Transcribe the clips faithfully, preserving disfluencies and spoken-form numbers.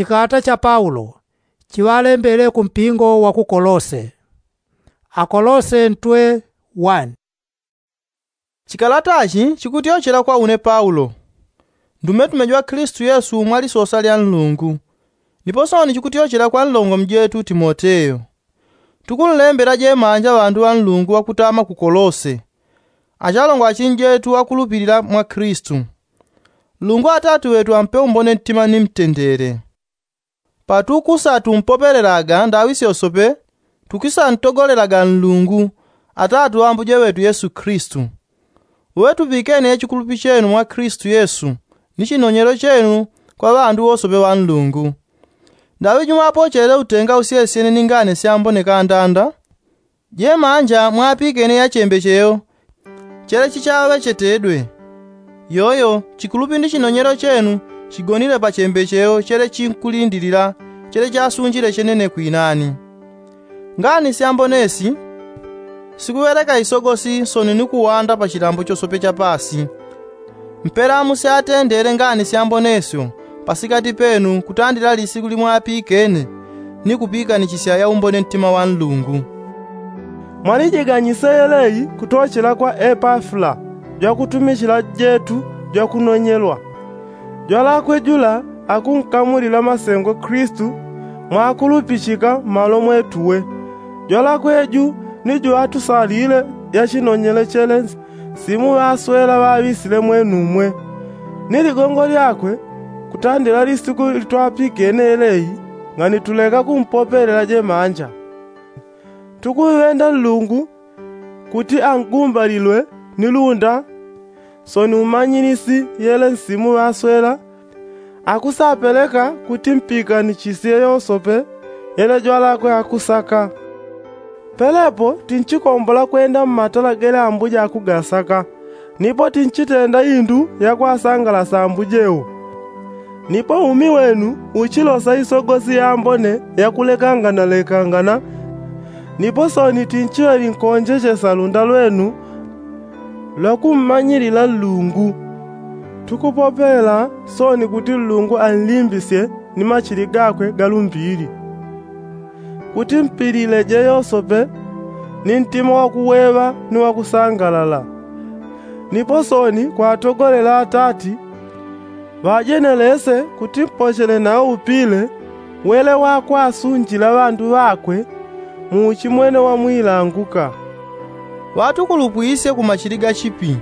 Chikalata cha paulo chiŵalembele ku mpingo wa ku kolose. Akolose ntwe. One. Chikalatachi chikutyochela kwa une paulo, ndumetume jwa kilisitu yesu mwa lisosa lya nlungu, nipo sooni chikutyochela kwa nlongomi jetu timoteyo. Tukunlembela jemanja ŵandu ŵa nlungu ŵakutama ku kolose, achalongo achinjetu akulupilila mwa kilisitu. Nlungu atati ŵetu ampe umbone ntima ni mtendele. Patukusa tumpopelelaga ndaŵi syosope, tukusantogolelaga nlungu, atati wa ambuje ŵetu yesu kilisitu. Uŵe tupikene chikulupi chenu mwa kilisitu yesu, ni chinonyelo chenu kwa ŵandu wosope ŵa nlungu. Ndaŵi jumo apochele utenga usyesyene ni ngani syambone kandanda, jemanja mwapikene ya chembecheyo chele chichaŵechetedwe. Yoyo chikulupi ni chinonyelo chenu chigonile pa chembecheyo chele chinkulindilila chele chasunjile chenene kwinani. Ngani syambone si sikuŵeleka isogosi sooni ni kuwanda pa chilambo chosope cha paasi. Mpela musyatendeele ngani syambone syo pasikati penu kutandila lisiku limwapikene ni kupikanichisya yaumbone ntima wa nlungu. Mwalijiganyise yeleyi kutochela kwa epafula jwakutumichila jetu jwakunonyelwa. Jwalakwe jula akunkamulila masengo kilisitu mwakulupichika malo mwetuwe. Jwalakwe ju ni juŵatusalile yachinonyele chele nsimu ŵaswela ŵaŵisile mwenumwe. Ni ligongo lyakwe kutandila lisiku litwapikene yeleyi ngani tuleka kumpopelela jemanja. Tukuŵenda nlungu kuti angumbalilwe ni lunda sooni umanyilisi yele nsimu ŵaswela akusapeleka kuti mpikanichisye yosope yele jwalakwe akusaka. Pelepo tinchikombola kwenda mmatala gele ambuja akugasaka, nipo tinchitenda indu yakwasangalasa ambuje wo. Nipo umi wenu uchilosa isogosi yambone yakulekanganalekangana. Nipo sooni tinchiŵe linkonjechesa lunda lwenu lwakummanyilila nlungu. Tukupopelela sooni kuti nlungu anlimbisye ni machili gakwe galumbili kuti mpilileje yosope ni ntima wakuweŵa ni wakusangalala. Nipo sooni kwatogolela atati ŵajenelese kuti mpochele nawo upile wele wakwasunjila ŵandu ŵakwe mu uchimwene wa mwilanguka. Ŵatukulupwisye ku machili ga chipi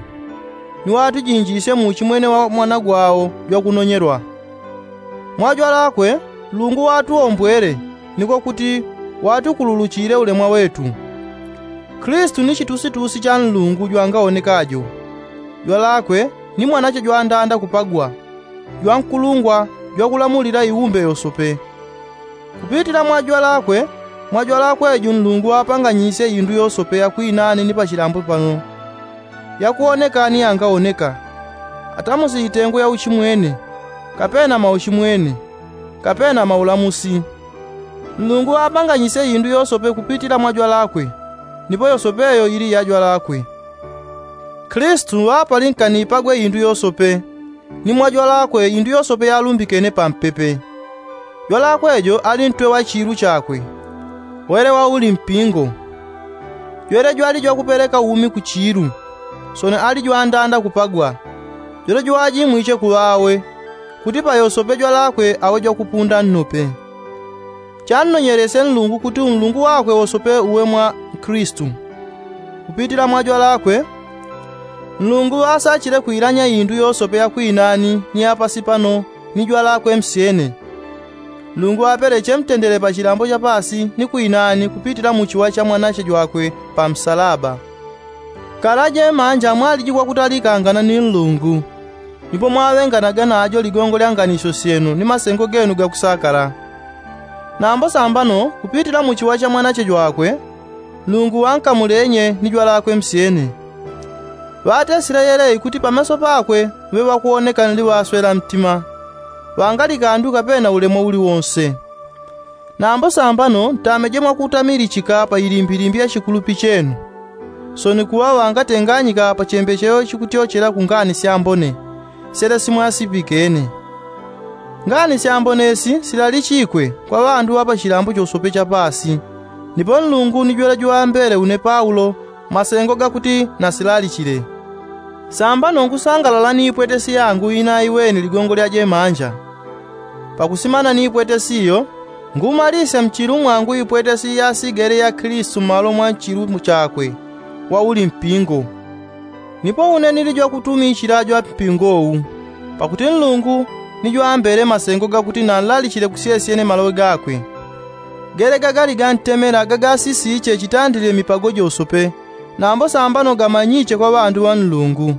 ni ŵatujinjisye mu uchimwene wa mwana gwawo jwakunonyelwa. Mwa jwalakwe nlungu watuwombwele niko kuti watukululuchile ulemwa wetu. Kilisitu ni chitusitusi cha nlungu jwangawonekajo. Jwalakwe ni mwanache jwandanda kupagwa, jwankulungwa jwakulamulila iumbe yosope. Kupitila mwa jwalakwe, mwa jwalakwe ju nlungu apanganyisye indu yosope yakwinani ni pachilambo pano, yakuwoneka ni yangawoneka, atamusi itengo ya uchimwene, kapena mauchimwene, kapena maulamusi. Nlungu apanganyisye indu yosope kupitila mwa jwalakwe, nipo yosope yo ili ya jwalakwe. Kilisitu ŵapalinkani ipagwe indu yosope, ni mwa jwalakwe indu yosope yalumbikene pampepe. Jwalakwe jo ali ntwe wa chiilu chakwe, wele wauli mpingo. Jwele jwali jwakupeleka umi ku chiilu, sooni ali jwandanda kupagwa. Jwele jwajimwiche ku ŵawe, kuti pa yosope jwalakwe awe jwakupunda nnope. Channonyelesye nlungu kuti unlungu wakwe wosope uwe mwa kilisitu. Kupitila mwa jwalakwe, nlungu ŵasachile kwilanya indu yosope yakwinani ni yapasi pano ni jwalakwe msyene. Nlungu ŵapeleche mtendele pa chilambo cha paasi ni kwinani kupitila mu chiwa cha mwanache jwakwe pa msalaba. Kala jemanja mwaliji kwakutalikangana ni nlungu, nipo mwaŵenganaga najo ligongo lya nganisyo syenu ni masengo genu gakusakala. Nambo sambano kupitila mu chiwa cha mwanache jwakwe, nlungu ŵankamulenye ni jwalakwe msyene. Ŵatesile yeleyi kuti pameso pakwe ŵe ŵakuwoneka nli ŵaswela mtima, ŵangali kandu kapena ulemwa uli wonse. Nambo sambano ntameje mwakutamilichika pa ilimbilimbi ya chikulupi chenu, sooni kuŵa ŵangatenganyika pa chembechelo chikutyochela ku ngani syambone syele simwasipikene. Ngani syambonesi silalichikwe kwa ŵandu ŵa pa chilambo chosope cha paasi. Nipo nlungu ni jwela juŵambele une paulo masengo gakuti nasilalichile. Sambano ngusangalala ni ipwetesi yangu inaiweni ligongo lya jemanja. Pakusimana ni ipwetesi iyo, ngumalisya mchilu mwangu ipwetesi yasigele ya kilisitu mmalo mwa nchilu chakwe wauli mpingo. Nipo une nili jwakutumichila jwa mpingo uwu, pakuti nlungu ni jwambele masengo gakuti nanlalichile kusyesyene maloŵe gakwe. Gele gagali gantemela gagasisiche chitandilile mipago josope, nambo sambano gamanyiche kwa ŵandu ŵa nlungu.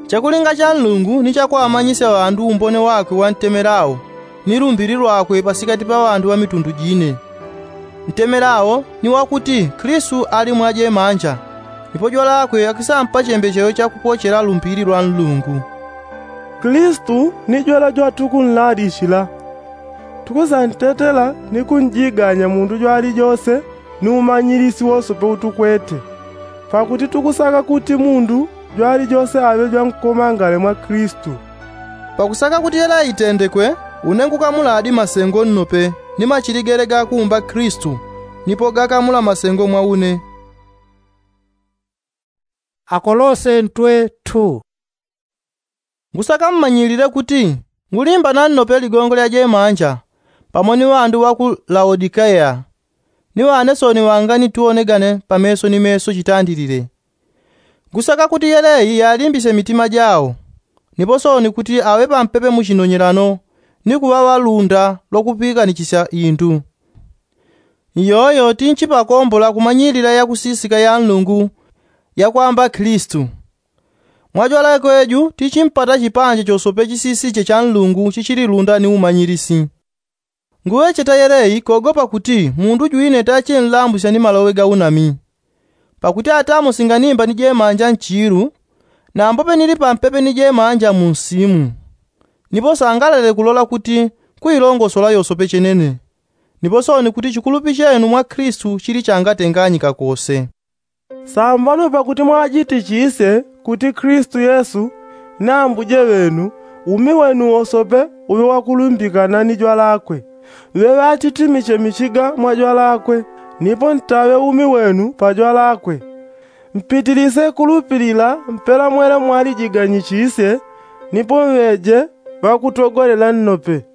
Chakulinga cha nlungu ni chakwamanyisya ŵandu umbone wakwe wantemelao, ni lumbili lwakwe pasikati pa ŵandu ŵa mitundu jine. Ntemelao ni wakuti kilisitu ali mwa jemanja, nipo jwalakwe akisampa chembechelo chakupochela lumbili lwa nlungu. Kilisitu ni jwela jwatukunlalichila. Tukusantetela ni kunjiganya mundu jwalijose ni umanyilisi wosope utukwete. Pakuti tukusaka kuti mundu jwalijose aŵe jwankomangale mwa kilisitu. Pakusaka kuti yela itendekwe, une ngukamuladi masengo nnope, ni machili gele gakuumba kilisitu, nipo gakamula masengo mwa une. Akolose ntwe two. Ngusaka mmanyilile kuti ngulimbana nnope ligongo lya jemanja, pamo ni ŵandu ŵa ku laodikeya, ni ŵane sooni ŵanganituwonegane pa meso ni meso chitandilile. Ngusaka kuti yeleyi yalimbisye mitima jawo, nipo sooni kuti aŵe pampepe mu chinonyelano, ni kuŵa ŵalunda lwa kupikanichisya indu. Iyoyo tinchipakombola kumanyilila yakusisika ya nlungu, yakwamba kilisitu. Mwa jwalakwe ju tichimpata chipanja chosope chisisiche cha nlungu chichililunda ni umanyilisi. Nguŵecheta yeleyi kogopa kuti mundu jwine tachinlambusya ni maloŵe ga unami. Pakuti atamo singanimba ni jemanja nchiilu, nambope nili pampepe ni jemanja mu nsimu. Nipo sangalele kulola kuti kuilongosola yosope chenene, nipo sooni kuti chikulupi chenu mwa kilisitu chili changatenganyika kose. Sambano pakuti mwajitichisye kuti kilisitu yesu ni ambuje ŵenu, umi wenu wosope uŵe wakulumbikana ni jwalakwe. Ŵe ŵatitimiche michiga mwa jwalakwe, nipo ntaŵe umi wenu pa jwalakwe. Mpitilise kulupilila mpela mwele mwalijiganyichisye, nipo mŵeje ŵakutogolela nnope.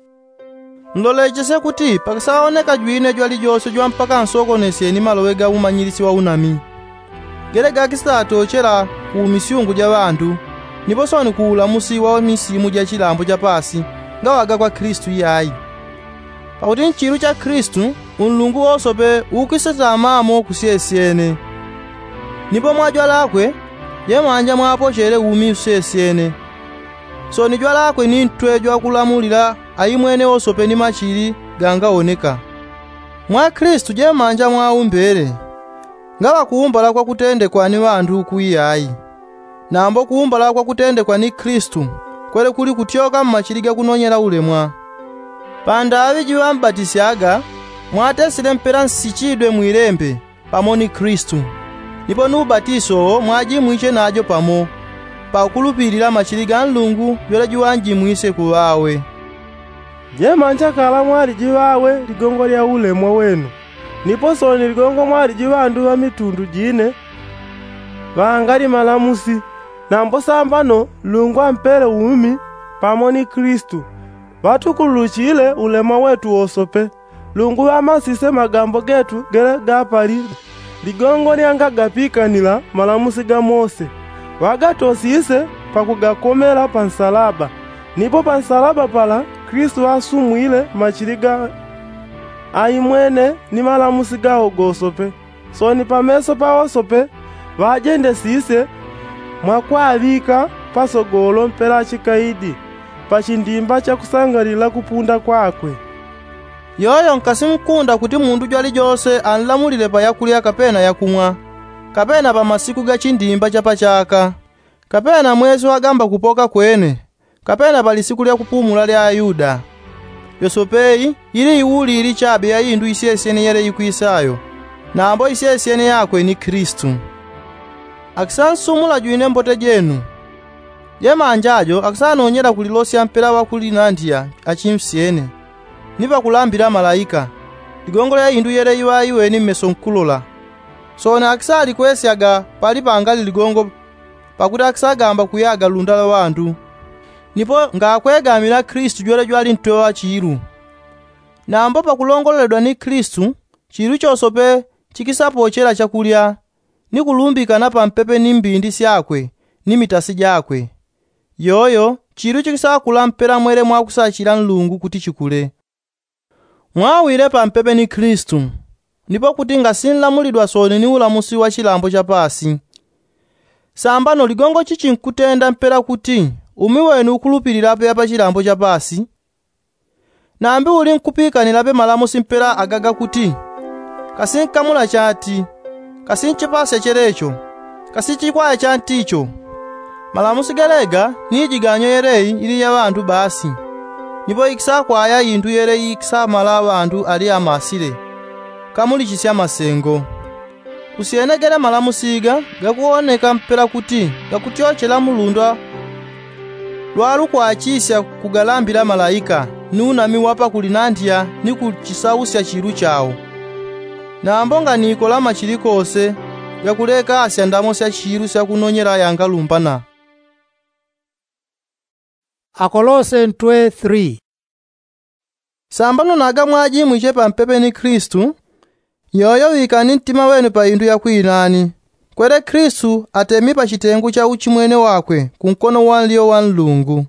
Nlolechesye kuti pakisaoneka jwine jwalijose jwampaka nsokonesyeni maloŵe ga umanyilisi wa unami, gele gakisatochela ku misyungu ja ŵandu, nipo sooni ku ulamusi wa misimu ja chilambo cha paasi, ngaŵaga kwa kilisitu iyai. Pakuti nchilu cha kilisitu unlungu wosope ukisetamamo kusyesyene. Nipo mwa jwalakwe jemanja mwapochele umi usyesyene. Sooni jwalakwe ni ntwe jwakulamulila aimwene wosope ni machili gangaoneka. Mwa kilisitu jemanja mwaumbele, ngaŵa kuumbala kwa kutendekwa ni ŵandu uku iyai, nambo kuumbala kwa kutendekwa ni kilisitu kwele kuli kutyoka mmachili ga kunonyela ulemwa. Pandaŵi jiŵambatisyaga mwatesile mpela nsichidwe mwilembe pamo ni kilisitu, nipo ni ubatiso wo mwajimwiche najo pamo, pakulupilila machili ga nlungu jwele juŵanjimwisye kuŵawe. Jemanja kala mwali jiŵawe ligongo lya ulemwa wenu, nipo sooni ligongo mwali jiŵandu ŵa mitundu jine ŵangali malamusi. Nambo sambano nlungu ampele umi pamo ni kilisitu, ŵatukululuchile ulemwa wetu wosope. Nlungu ŵamasisye magambo getu gele ga pali ligongo lyanga gapikanila malamusi ga mose, ŵagatosisye pakugakomela pa nsalaba. Nipo pa nsalaba pala kilisitu ŵasumwile machili ga aimwene ni malamusi gawo gosope. Sooni pameso pa wosope ŵajendesisye mwakwaŵika pasogolo mpela chikaidi pa chindimba chakusangalila kupunda kwakwe. Yoyo nkasimkunda kuti mundu jwalijose anlamulile pa yakulya kapena yakumwa, kapena pa masiku ga chindimba cha pachaka, kapena mwesi wagamba kupoka kwene, kapena pa lisiku lya kupumula lya ayuda. Yosope iyi ili iulili chabe ya indu isyesyene yele ikwisayo, nambo isyesyene yakwe ni kilisitu. Akisansumula jwine mbote jenu. Jemanja jo akisanonyela kulilosya mpela ŵakulinandiya achimsyene, ni pakulambila malaika, ligongo lya indu yele iŵa iweni mmeso nkulola. Sooni akisalikwesyaga pali pangali ligongo, pakuti akisagamba kuyaga lunda lwa ŵandu. Nipo ngakwegamila kristu jwele jwali ntwe wa chiilu. Nambo pakulongoleledwa ni kristu, chiilu chosope chikisapochela chakulya, ni kulumbikana pampepe ni mbindi syakwe, ni mitasi jakwe. Yoyo chiilu chikisakula mpela mwele mwakusachila nlungu kuti chikule. Mwawile pampepe ni kristu, nipo kuti ngasinlamulidwa sooni ni ulamusi wa chilambo cha paasi. Sambano ligongo chichi nkutenda mpela kuti umi wenu ukulupililapo ya pa chilambo cha paasi? Nambi uli nkupikanilape malamusi mpela agaga kuti, kasi nkamula chati, kasi nchipasya chelecho, kasi chikwaya chanti icho? Malamusi galega ni ijiganyo yeleyi ili ya ŵandu basi. Nipo ikisakwaya indu yeleyi ikisamala ŵandu ali amasile, kamulichisya masengo. Kusyene gele malamusi ga gakuwoneka mpela kuti gakutyochela mu lundwa lwalukwachisya kugalambila malaika, ni unami wa pakulinandiya ni kuchisausya chiilu chao. Nambo nganikolama chili kose, gakulekasya ndamo sya chiilu sya kunonyela yangalumbana. Akolose ntwe three. Sambano naga mwajimwiche pampepe ni kristu, yoyo ŵikani ntima wenu pa indu ya kwinani, kwele kristu atemi pa chitengu cha uchimwene wakwe ku nkono wa nlyo wa nlungu.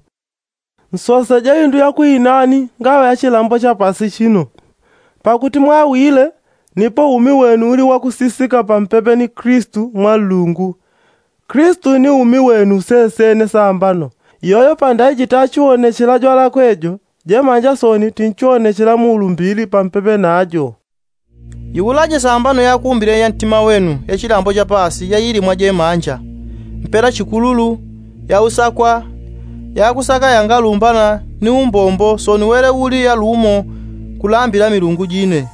Nsoseje indu ya kwinani ngaŵa ya chilambo cha pasi chino, pakuti mwawile, nipo umi wenu uli wakusisika pampepe ni kristu mwa nlungu. Kristu ni umi wenu sesene sambano. Yoyo pandaiji tachiwonechela jwalakwe jo, jemanja sooni tinchiwonechela mu ulumbili pampepe najo. Iwulaje sambano yakumbile ya ntima wenu ya chilambo cha pasi yaili mwa jemanja, mpela chikululu, ya usakwa, ya kusaka yangalumbana ni umbombo sooni wele uli yalumo kulambila milungu jine.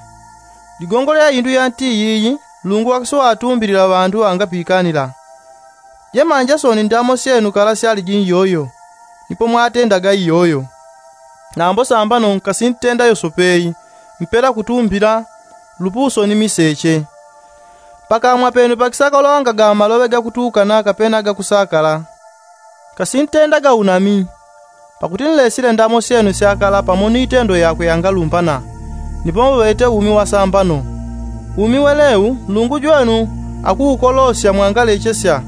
Ligongo lya indu yanti iyiyi, nlungu wakisowatumbilila ŵandu ŵangapikanila. Jemanja sooni ndamo syenu kala syaliji iyoyo, nipo mwatendaga iyoyo. Nambo sambano nkasintenda yosopeyi, mpela kutumbila, lupuso ni miseche. Pakamwa penu pakisakalongaga maloŵe gakutukana kapena gakusakala. Kasintendaga unami, pakuti nlesile ndamo syenu syakala pamo ni itendo yakwe yangalumbana, nipo muŵete umi wa sambano. Umi welewu nlungu jwenu akuukolosya mwangalechesya,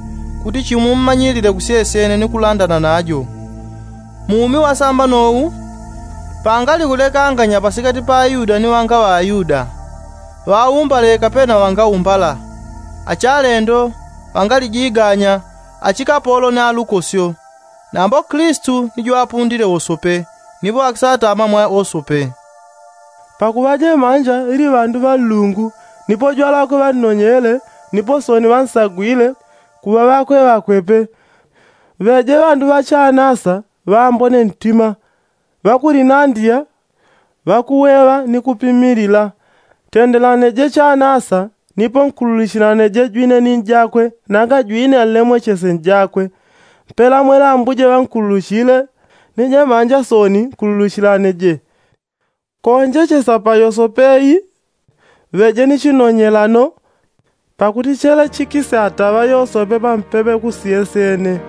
kuti chimummanyilile kusyesyene ni kulandana najo. Mu umi wa sambano wu, pangali kulekanganya pasikati pa ayuda ni ŵanga ŵa ayuda, ŵaumbale kapena ŵangaumbala, achalendo, ŵangalijiganya, achikapolo ni alukosyo. Nambo kristu ni jwapundile wosope, nipo akisatama mwa wosope. Pakuŵa jemanja ili ŵandu ŵa nlungu, nipo jwalakwe ŵannonyele, nipo sooni ŵansagwile, kuŵa ŵakwe ŵakwe pe. Ŵeje ŵandu ŵa chanasa, ŵambone ntima, ŵakulinandiya, ŵakuweŵa ni kupimilila. Tendelaneje chanasa, nipo nkululuchilaneje jwine ni njakwe, nanga jwine anlemwechesye njakwe. Mpela mwela ambuje ŵankululuchile, ni jemanja sooni nkululuchilaneje. Konjechesa pa yosopeyi, ŵejeni chinonyelano, pakuti chele chikisataŵa yosope pampepe kusyesyene.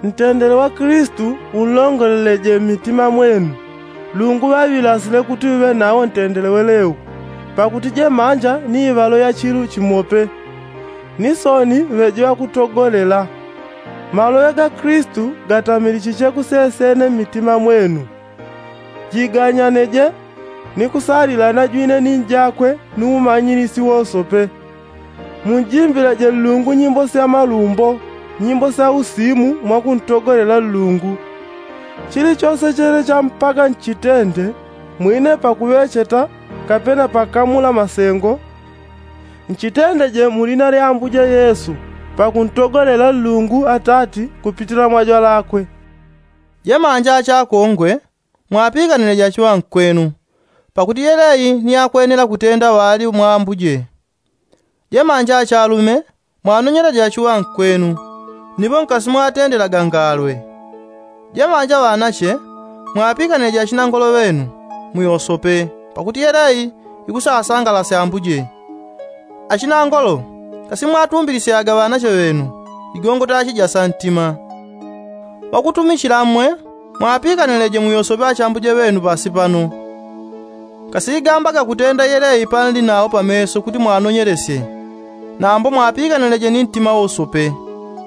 Ntendele wa kristu unlongoleleje mmitima mwenu. Nlungu ŵaŵilasile kuti uŵe nawo ntendele welewu, pakuti jemanja ni iŵalo ya chilu chimope. Ni sooni ŵeje ŵakutogolela. Maloŵe ga kristu gatamilichiche kusesene mmitima mwenu. Jiganyaneje, ni kusalilana jwine ni njakwe ni umanyilisi wosope. Munjimbileje nlungu nyimbo sya malumbo, nyimbo sya usimu mwa kuntogolela nlungu. Chilichose chele champaga nchitende, mwine pakuŵecheta, kapena pakamula masengo, nchitendeje mu lina lya ambuje yesu, pakuntogolela nlungu atati kupitila mwa jwalakwe. Jemanja achakongwe, mwapikanile jachiŵankwenu, pakuti yeleyi ni yakwenela kutenda ŵali mwa ambuje. Jemanja achalume, mwanonyela jachiŵankwenu, Nipo nkasimwatendelaga ngalwe. Jemanja ŵanache, mwapikanileje achinangolo ŵenu muyosope, pakuti yeleyi ikusasangalasya ambuje. Achinangolo, kasimwatumbilisyaga ŵanache ŵenu ligongo tachi ja santima. Ŵakutumichila mmwe, mwapikanileje muyosope achambuje ŵenu pasi pano. Kasigambaga kutenda yeleyi panli nawo pameso kuti mwanonyelesye. Nambo mwapikanileje ni ntima wosope,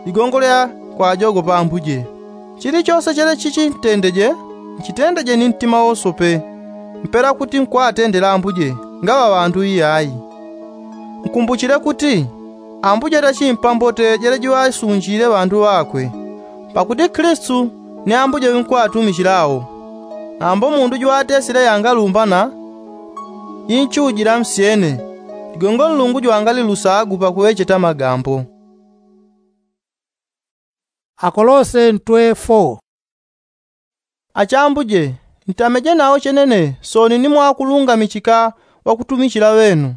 ligongo lya kwajogopa ambuje. Chilichose chele chichi ntendeje, nchitendeje ni ntima wosope, mpela kuti nkwatendela ambuje, ngaŵa ŵandu iyayi. Nkumbuchile kuti ambuje tachimpa mbote jele jiŵasunjile ŵandu ŵakwe. Pakuti kilisitu ni ambuje ŵinkwatumichila awo. Nambo mundu jwatesile yangalumbana inchujila nsyene, ligongo nlungu jwangalilusagu pakuŵecheta magambo. Akolose ntwe fo. Achambuje, ntameje nawo chenene sooni ni mwakulungamichika ŵakutumichila ŵenu.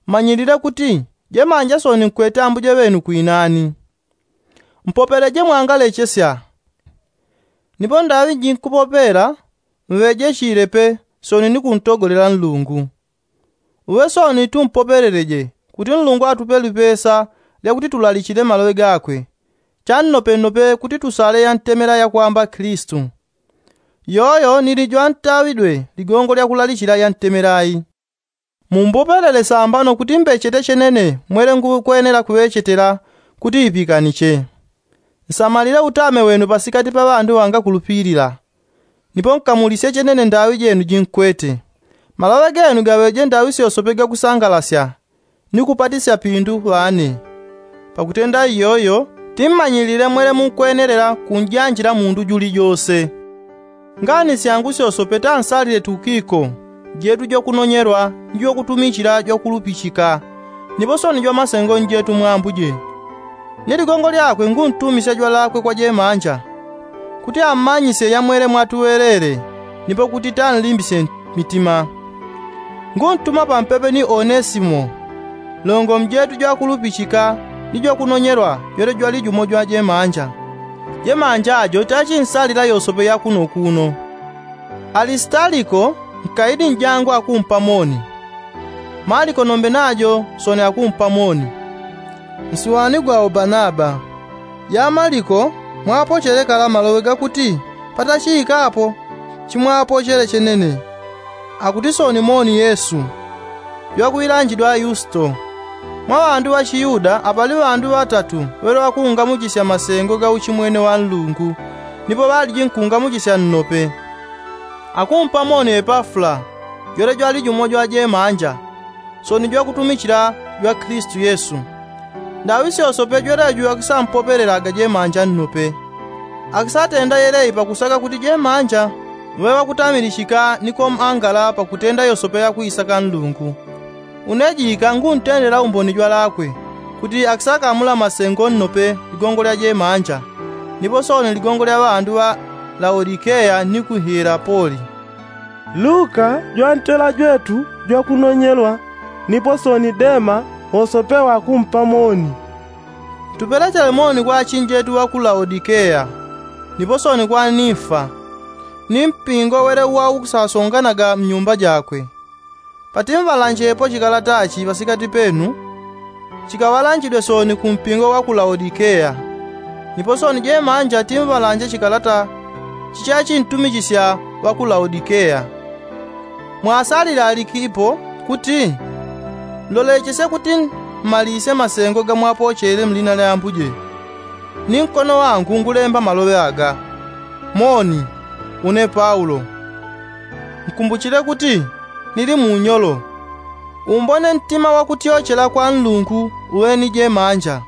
Manyilile kuti jemanja sooni nkwete ambuje ŵenu kwinani. Mpopeleje mwangalechesya. Nipo ndaŵi jinkupopela, mŵejechile pe sooni ni kuntogolela nlungu. Uŵe sooni tumpopeleleje kuti nlungu atupe lipesa lyakuti tulalichile maloŵe gakwe, channopenope kuti tusale yantemela yakwamba kilisitu. Yoyo nili jwantaŵidwe ligongo lyakulalichila yantemelayi. Mumbopelele sambano kuti mbechete chenene mwele ngukwenela kuŵechetela kuti ipikaniche. Nsamalile utame wenu pasikati pa ŵandu ŵangakulupilila. Nipo nkamulisye chenene ndaŵi jenu jinkwete. Maloŵe genu gaŵeje ndaŵi syosope gakusangalasya ni kupatisya pindu ŵane. Pakutenda iyoyo timmanyilile mwele munkwenelela kunjanjila mundu julijose. Ngani syangu syosope tansalile tukiko, jetu jwakunonyelwa ni jwakutumichila jwakulupichika, nipo sooni jwamasengo njetu mwa ambuje. Ni ligongo lyakwe nguntumisya jwalakwe kwa jemanja, kuti ammanyisye yamwele mwatuŵelele, nipo kuti tanlimbisye mitima. Nguntuma pampepe ni onesimo, longo mjetu jwakulupichika ni jwakunonyelwa jwele jwali jumo jwa jemanja. Jemanja jo tachinsalila yosope yakuno kuno. Alisitaliko nkaidi njangu akumpa moni. Maliko nombe najo sooni akumpa moni. Nsiwani gwawo banaba. Ya maliko mwapochele kala maloŵe gakuti patachiika apo chimwapochele chenene. Akuti sooni moni yesu. Jwakuŵilanjidwa yusito. Mwa ŵandu ŵachiyuda apali ŵandu ŵatatu ŵele ŵakungamuchisya masengo ga uchimwene wa nlungu, nipo ŵaliji nkungamuchisya nnope. Akumpa moni epafula, jwele jwali jumo jwa jemanja, sooni jwakutumichila jwa kilisitu yesu. Ndaŵi syosope jwelejo akisampopelelaga jemanja nnope. Akisatenda yeleyi pakusaka kuti jemanja ŵaŵe ŵakutamilichika ni komangala pakutenda yosope yakwisaka nlungu. Une jika nguntendela umboni jwalakwe, kuti akisakamula masengo nnope ligongo lya jemanja, nipo sooni ligongo lya ŵandu ŵa laodikeya ni ku hiyelapoli. Luka jwantela jwetu jwakunonyelwa, nipo sooni dema wosope wakumpa moni. Tupelechele moni kwa achinjetu ŵa ku laodikeya, nipo sooni kwa nimfa, ni mpingo wele uwa ukusasonganaga mnyumba jakwe. Patimŵalanjepo chikalata chi pasikati penu, chikaŵalanjidwe sooni ku mpingo wa ku laodikeya. Nipo sooni jemanja timŵalanje chikalata chichachintumichisya ŵa ku laodikeya. Mwasalile aliki ipo kuti, nlolechesye kuti mmalisye masengo gamwapochele mlina lya ambuje. Ni nkono wangu ngulemba maloŵe aga. Moni. Une paulo. Nkumbuchile kuti nili munyolo. Umbone ntima wakutyochela kwa nlungu uŵe ni jemanja.